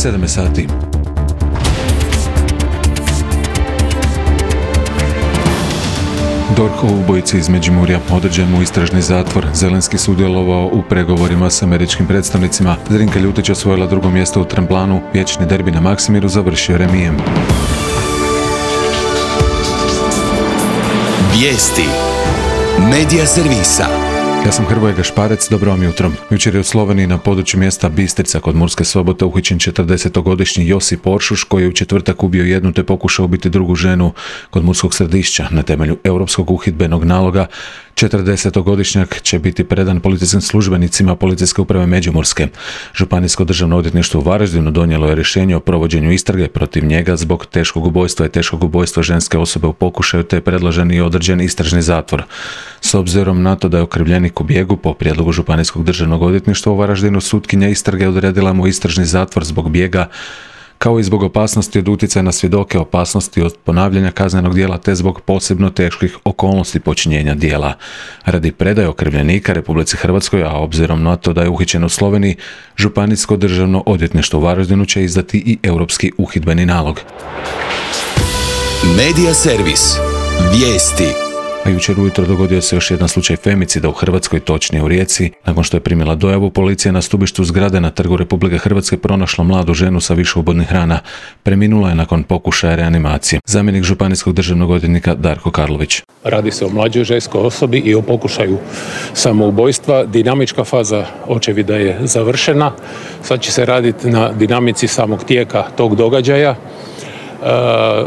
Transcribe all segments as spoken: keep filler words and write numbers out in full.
sedam sati. D O R H o ubojici iz Međimurja određen mu istražni zatvor. Zelenski sudjelovao u pregovorima s američkim predstavnicima. Zrinka Ljutić osvojila drugo mjesto u Tremplanu. Vječni derbi na Maksimiru završio remijem. Vijesti Medija servisa. Ja sam Hrvoje Gašparec, dobro vam jutro. Jučer je u Sloveniji na području mjesta Bistrica kod Murske Sobote uhićen četrdesetogodišnji Josip Oršuš koji je u četvrtak ubio jednu te pokušao ubiti drugu ženu kod Murskog Središća. Na temelju europskog uhidbenog naloga četrdesetogodišnjak će biti predan policijskim službenicima Policijske uprave Međimurske. Županijsko državno odvjetništvo u Varaždinu donijelo je rješenje o provođenju istrage protiv njega zbog teškog ubojstva i teškog ubojstva ženske osobe u pokušaju te je predložen i određen istražni zatvor. S obzirom na to da je okrivljenik u bijegu, po prijedlogu Županijskog državnog odvjetništva u Varaždinu sutkinja istrage odredila mu istražni zatvor zbog bijega, kao i zbog opasnosti od utjecaja na svjedoke, opasnosti od ponavljanja kaznenog djela te zbog posebno teških okolnosti počinjenja djela. Radi predaje okrivljenika Republici Hrvatskoj, a obzirom na to da je uhićen u Sloveniji, Županijsko državno odvjetništvo u Varaždinu će izdati i europski uhidbeni nalog. Medija servis. Vijesti. A jučer ujutro dogodio se još jedan slučaj femicida u Hrvatskoj, točnije u Rijeci. Nakon što je primila dojavu, policija na stubištu zgrade na Trgu Republike Hrvatske pronašla mladu ženu sa više ubodnih rana. Preminula je nakon pokušaja reanimacije. Zamjenik županijskog državnog odvjetnika Darko Karlović. Radi se o mlađoj ženskoj osobi i o pokušaju samoubojstva. Dinamička faza očevida je završena. Sad će se raditi na dinamici samog tijeka tog događaja. Uh,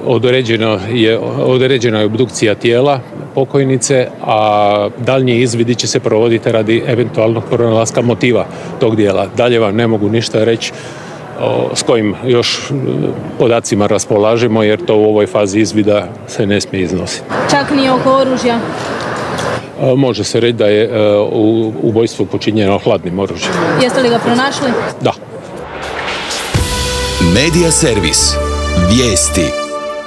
određeno je, određena je obdukcija tijela pokojnice, a daljnji izvidi će se provoditi radi eventualnog pronalaska motiva tog djela. Dalje vam ne mogu ništa reći o, s kojim još podacima raspolažemo, jer to u ovoj fazi izvida se ne smije iznositi. Čak ni oko oružja? Uh, može se reći da je uh, u ubojstvo počinjeno hladnim oružjem. Jeste li ga pronašli? Da. Medija servis. Vijesti.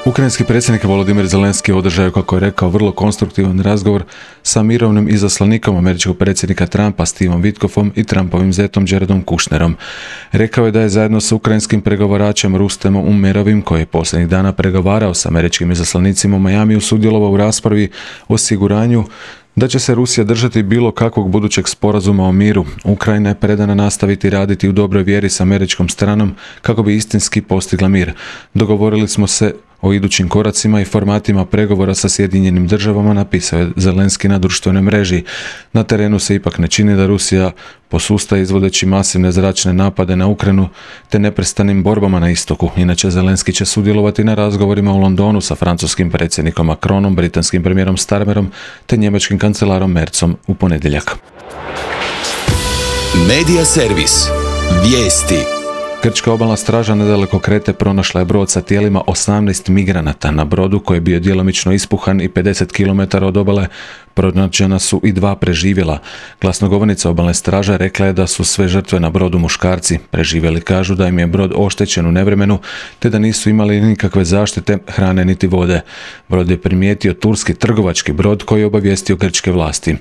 Ukrajinski predsjednik Volodimir Zelenski održao je, kako je rekao, vrlo konstruktivan razgovor sa mirovnim izaslanikom američkog predsjednika Trumpa Stevom Witkoffom i Trumpovim zetom Jaredom Kushnerom. Rekao je da je zajedno sa ukrajinskim pregovaračem Rustemom Umerovim, koji je posljednjih dana pregovarao s američkim izaslanicima u Majamiju, sudjelovao u raspravi o osiguranju da će se Rusija držati bilo kakvog budućeg sporazuma o miru. Ukrajina je predana nastaviti raditi u dobroj vjeri s američkom stranom kako bi istinski postigla mir. Dogovorili smo se o idućim koracima i formatima pregovora sa Sjedinjenim državama, napisao je Zelenski na društvenoj mreži. Na terenu se ipak ne čini da Rusija posusta izvodeći masivne zračne napade na Ukrajinu te neprestanim borbama na istoku. Inače, Zelenski će sudjelovati na razgovorima u Londonu sa francuskim predsjednikom Macronom, britanskim premijerom Starmerom te njemačkim kancelarom Merzom u ponedjeljak. Medija servis. Vijesti. Grčka obalna straža nedaleko Krete pronašla je brod sa tijelima osamnaest migranata. Na brodu, koji je bio djelomično ispuhan i pedeset kilometara od obale, pronađena su i dva preživjela. Glasnogovornica obalne straže rekla je da su sve žrtve na brodu muškarci. Preživjeli kažu da im je brod oštećen u nevremenu, te da nisu imali nikakve zaštite, hrane niti vode. Brod je primijetio turski trgovački brod koji je obavijestio grčke vlasti.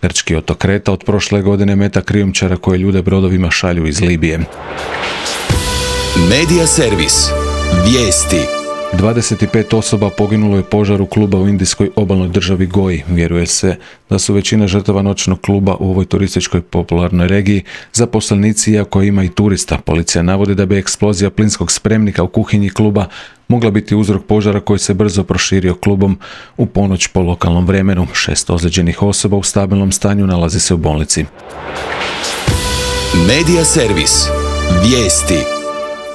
Grčki otok Kreta od prošle godine meta krijumčara koje ljude brodovima šalju iz Libije. Medija servis. Vijesti. dvadeset pet osoba poginulo je u požaru kluba u indijskoj obalnoj državi Goji. Vjeruje se da su većina žrtava noćnog kluba u ovoj turističkoj popularnoj regiji zaposlenici, iako ima i turista. Policija navodi da bi eksplozija plinskog spremnika u kuhinji kluba mogla biti uzrok požara koji se brzo proširio klubom u ponoć po lokalnom vremenu. Šest ozlijeđenih osoba u stabilnom stanju nalazi se u bolnici. Medija servis. Vijesti.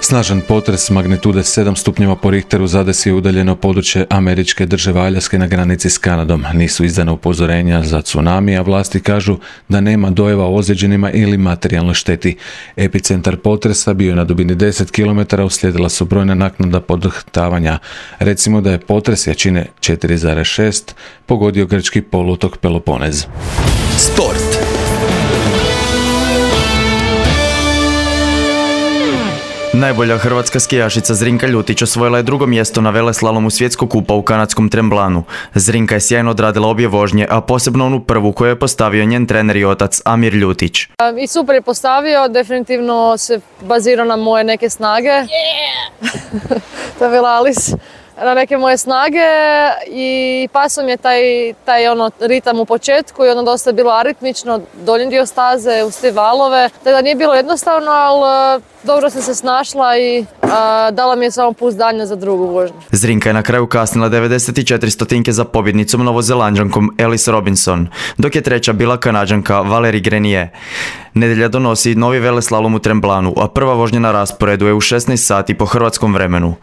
Snažan potres magnitude sedam stupnjeva po Richteru zadesio udaljeno područje američke države Aljaske na granici s Kanadom. Nisu izdana upozorenja za tsunami, a vlasti kažu da nema dojava o ozlijeđenima ili materijalnoj šteti. Epicentar potresa bio je na dubini deset kilometara, uslijedila su brojna naknadna podrhtavanja. Recimo da je potres jačine četiri zarez šest pogodio grčki poluotok Peloponez. Sport. Najbolja hrvatska skijašica Zrinka Ljutić osvojila je drugo mjesto na veleslalomu svjetskog kupa u kanadskom Tremblanu. Zrinka je sjajno odradila obje vožnje, a posebno onu prvu koju je postavio njen trener i otac Amir Ljutić. I super je postavio, definitivno se bazirao na moje neke snage. Yeah! To je bila Alice. Na neke moje snage i pasao mi je taj, taj ono, ritam u početku i ono dosta je bilo aritmično, donji dio staze, uz te valove. Tako da nije bilo jednostavno, ali dobro sam se snašla i a, dala mi je samo pouzdanje za drugu vožnju. Zrinka je na kraju kasnila devedeset četiri stotinke za pobjednicom novozelanđankom Alice Robinson, dok je treća bila Kanađanka Valerie Grenier. Nedjelja donosi novi veleslalom u Tremblanu, a prva vožnja na rasporedu je u šesnaest sati po hrvatskom vremenu.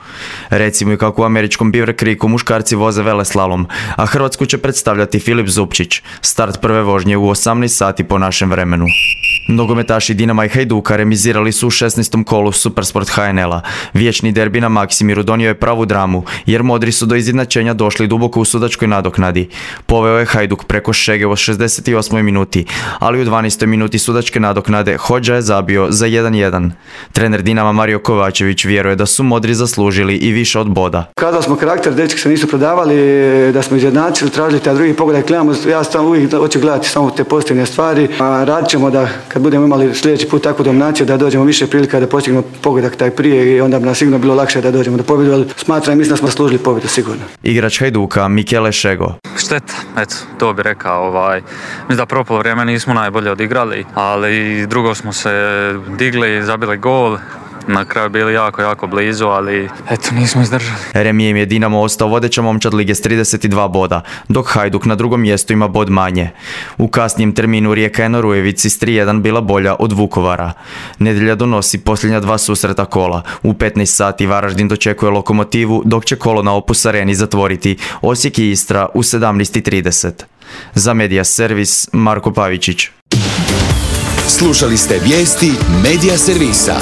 Recimo i kako u američkom Beaver Creeku muškarci voze veleslalom, a Hrvatsku će predstavljati Filip Zupčić. Start prve vožnje u osamnaest sati po našem vremenu. Nogometaši Dinama i Hajduka remizirali su u šesnaestom kolu Supersport H N L-a. Vječni derbi na Maksimiru donio je pravu dramu, jer modri su do izjednačenja došli duboko u sudačkoj nadoknadi. Poveo je Hajduk preko Šege u šezdeset osmoj minuti, ali u dvanaestoj minuti sudačke nadoknade Hodža je zabio za jedan jedan. Trener Dinama Mario Kovačević vjeruje da su modri zaslužili i više od boda. Kada smo karakter, dečki se nisu prodavali, da smo izjednačili, tražili taj drugi pogodak, gledamo, ja sam uvijek hoću gledati samo te pozitivne stvari, a radit ćemo da kad budemo imali sljedeći put takvu dominaciju da dođemo više prilika da postignemo pogodak taj prije i onda bi nam sigurno bilo lakše da dođemo do pobjede, ali smatram i mislim da smo služili pobjedu sigurno. Igrač Hajduka Michele Šego. Šteta, eto, to bi rekao, ovaj, mislim da propolo vrijeme nismo najbolje odigrali, ali drugo smo se digli, zabili gol. Na kraju bili jako, jako blizu, ali eto, nismo izdržali. Remijem je Dinamo ostao vodeća momčad lige s trideset dva boda, dok Hajduk na drugom mjestu ima bod manje. U kasnijem terminu Rijeka je na Rujevici s tri jedan bila bolja od Vukovara. Nedjelja donosi posljednja dva susreta kola. U petnaest sati Varaždin dočekuje Lokomotivu, dok će kolo na Opus Areni zatvoriti Osijek i Istra u sedamnaest trideset. Za Media Servis Marko Pavičić. Slušali ste vijesti Media Servisa.